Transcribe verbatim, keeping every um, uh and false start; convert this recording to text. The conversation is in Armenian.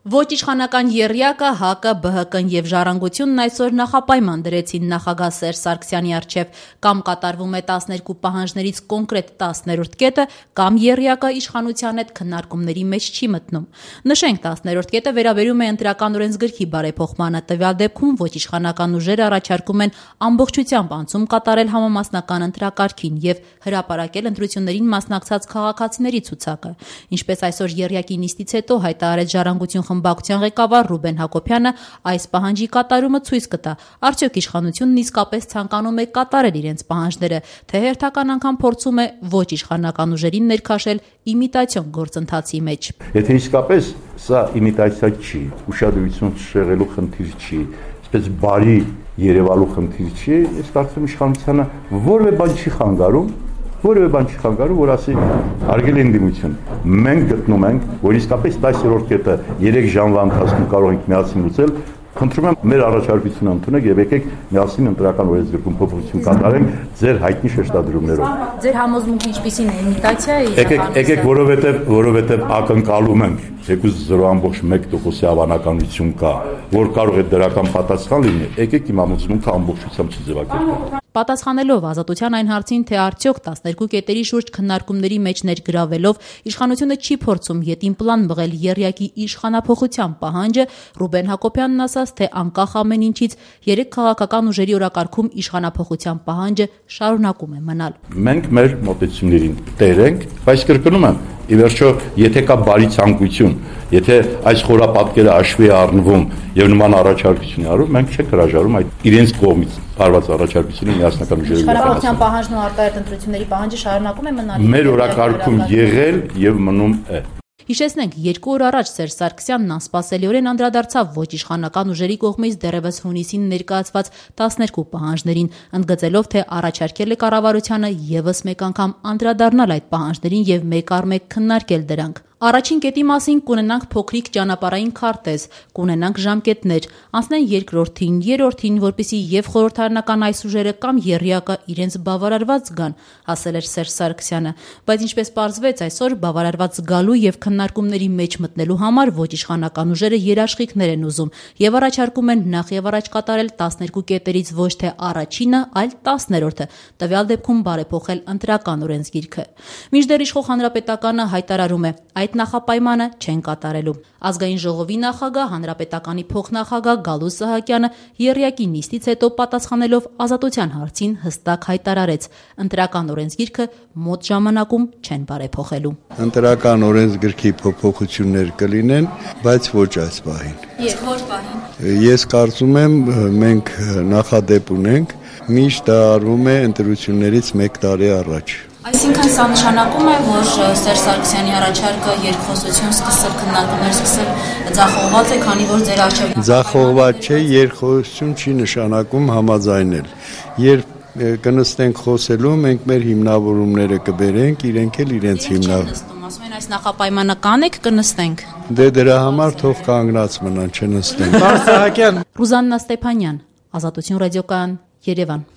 Ոչ իշխանական եռյակը, ՀԱԿ-ը, ԲՀԿ-ն եւ Ժառանգությունն այսօր նախապայման դրեցին նախագահ Սերժ Սարգսյանի առջեւ. կամ կատարվում է տասներկու պահանջներից կոնկրետ տասներորդ կետը, կամ եռյակը իշխանության հետ քննարկումների մեջ չի մտնում։ Նշենք, տասներորդ կետը վերաբերում է ընտրական օրենսգրքի բարեփոխմանը։ Տվյալ դեպքում ոչ իշխանական ուժերը առաջարկում են ամբողջությամբ անցում կատարել համամասնական ընտրակարգին եւ հրապարակել ընտրություններին մասնակցած քաղաքացիների ցուցակը։ Ինչպես այսօր եռյակի նիստից հետո հայտարարեց Ժառանգություն խմբակցության ղեկավար Ռուբեն Հակոբյանը, այս պահանջի կատարումը ցույց կտա, արդյոք իշխանությունն իսկապես ցանկանում է կատարել իրենց պահանջները, թե հերթական անգամ փորձում է ոչ իշխանական ուժերին ներքաշել իմիտացիոն գործընթացի մեջ։ Եթե իսկապես սա իմիտացիա չի, ուշադրություն շեղելու խնդիր չի, այսպես բարի երևալու խնդիր չի, ես կարծում եմ իշխանությանը որևէ բան չի խանգարում, որևէ բան չի խանգարում, որ ասի հարգելի ընդդիմություն, մենք գտնում ենք, որ իսկապես տասներորդ կետը երեք ժամվա ընթացքում կարող ենք միասին լուծել, խնդրում եմ մեր առաջարկությունը ընդունեք եւ եկեք միասին ընտրական օրենսգրքում փոփոխություն կատարենք ձեր հայտնի շեշտադրումներով։ Ձեր համոզմունքը ինչպիսին է, իմիտացիա է։ Եկեք, եկեք, որովհետեւ որովհետեւ ակնկալում ենք, թեկուզ զրո կόμμα մեկ տոկոսի հավանականություն կա, որ կարող է դրական պատասխան լինի, եկեք իմ համոզմունքը ամբողջությամբ չձևակերպենք։ Պատասխանելով Ազատության այն հարցին, թե արդյոք տասներկու կետերի շուրջ քննարկումների մեջ ներգրավելով իշխանությունը չի փորձում ետին պլան մղել եռյակի իշխանափոխության պահանջը, Ռուբեն Հակոբյանն ասաց, թե անկախ ամեն ինչից երեք քաղաքական ուժերի օրակարգում իշխանափոխության պահանջը շարունակում է մնալ։ Մենք մեր մոտեցումներին տեր ենք, բայց կրկնում եմ, ի վերջո, եթե կա բարի ցանկություն, եթե այս խորապատկերը հաշվի է առնվում եւ նման առաջարկություն է արվում, մենք չենք հրաժարվում այդ իրենց կողմից արված առաջարկությունը միասնական ուժերի իշխանափոխության պահանջն ու արտահայտ ընտրությունների պահանջը շարունակում է մնալ։ Մեր օրակարգում եղել եւ մնում է։ Հիշեցնենք, երկու օր առաջ Սերժ Սարգսյանն անսպասելիորեն անդրադարձավ ոչ իշխանական ուժերի կողմից դեռևս հունիսին ներկայացված տասներկու պահանջներին, ընդգծելով, թե առաջարկել է կառավարությանը ևս մեկ անգամ անդրադառնալ այդ պահանջներին եւ մեկ առ մեկ քննարկել դրանք։ Առաջին կետի մասին կունենանք փոքրիկ ճանապարհային քարտեզ, կունենանք ժամկետներ, անցնեն երկրորդին, երրորդին, որպեսզի եւ խորհրդարանական այս ուժերը կամ եռյակը իրենց բավարարված զգան, ասել էր Սերժ Սարգսյանը, բայց ինչպես պարզվեց այսօր բավարարված զգալու եւ քննարկումների մեջ մտնելու համար ոչ իշխանական ուժերը երաշխիքներ են ուզում եւ առաջարկում են նախ եւ առաջ կատարել տասներկու կետերից ոչ թե առաջինը, այլ տասներորդը, տվյալ դեպքում բարեփոխել ընտրական օրենսգիրքը։ Մինչդեռ իշխող հանրապետականը հայտարարում է, այդ նախապայմանը չեն կատարելու։ Ազգային ժողովի նախագահ, հանրապետականի փոխնախագահ Գալուստ Սահակյանը եռյակի նիստից հետո պատասխանելով Ազատության հարցին հստակ հայտարարեց. ընտրական օրենսգիրքը մոտ ժամանակում չեն բարեփոխելու։ Ընտրական օրենսգրքի փոփոխություններ կլինեն, բայց ոչ այս պահին։ Եվ ոչ պահին։ Ես կարծում եմ մենք նախադեպ ունենք, միշտ դա արվում է ընտրություններից մեկ տարի առաջ։ Այսինքն սա նշանակում է, որ Սերժ Սարգսյանի առաջարկը երկխոսություն սկսել, քննարկումներ սկսել ձախողված է, քանի որ ձեր արժեվ Ձախողված չէ, երկխոսություն չի նշանակում համաձայնել։ Երբ կնստենք խոսելու, մենք մեր հիմնավորումները կբերենք, իրենք էլ իրենց հիմնավորում։ Ասում են այս նախապայմանը կանեք, կնստենք։ Դե դրա համար թող կանգնած մնան, չնստենք։ Ռուզաննա Ստեփանյան, Ազատություն ռադիոկայան, Երևան։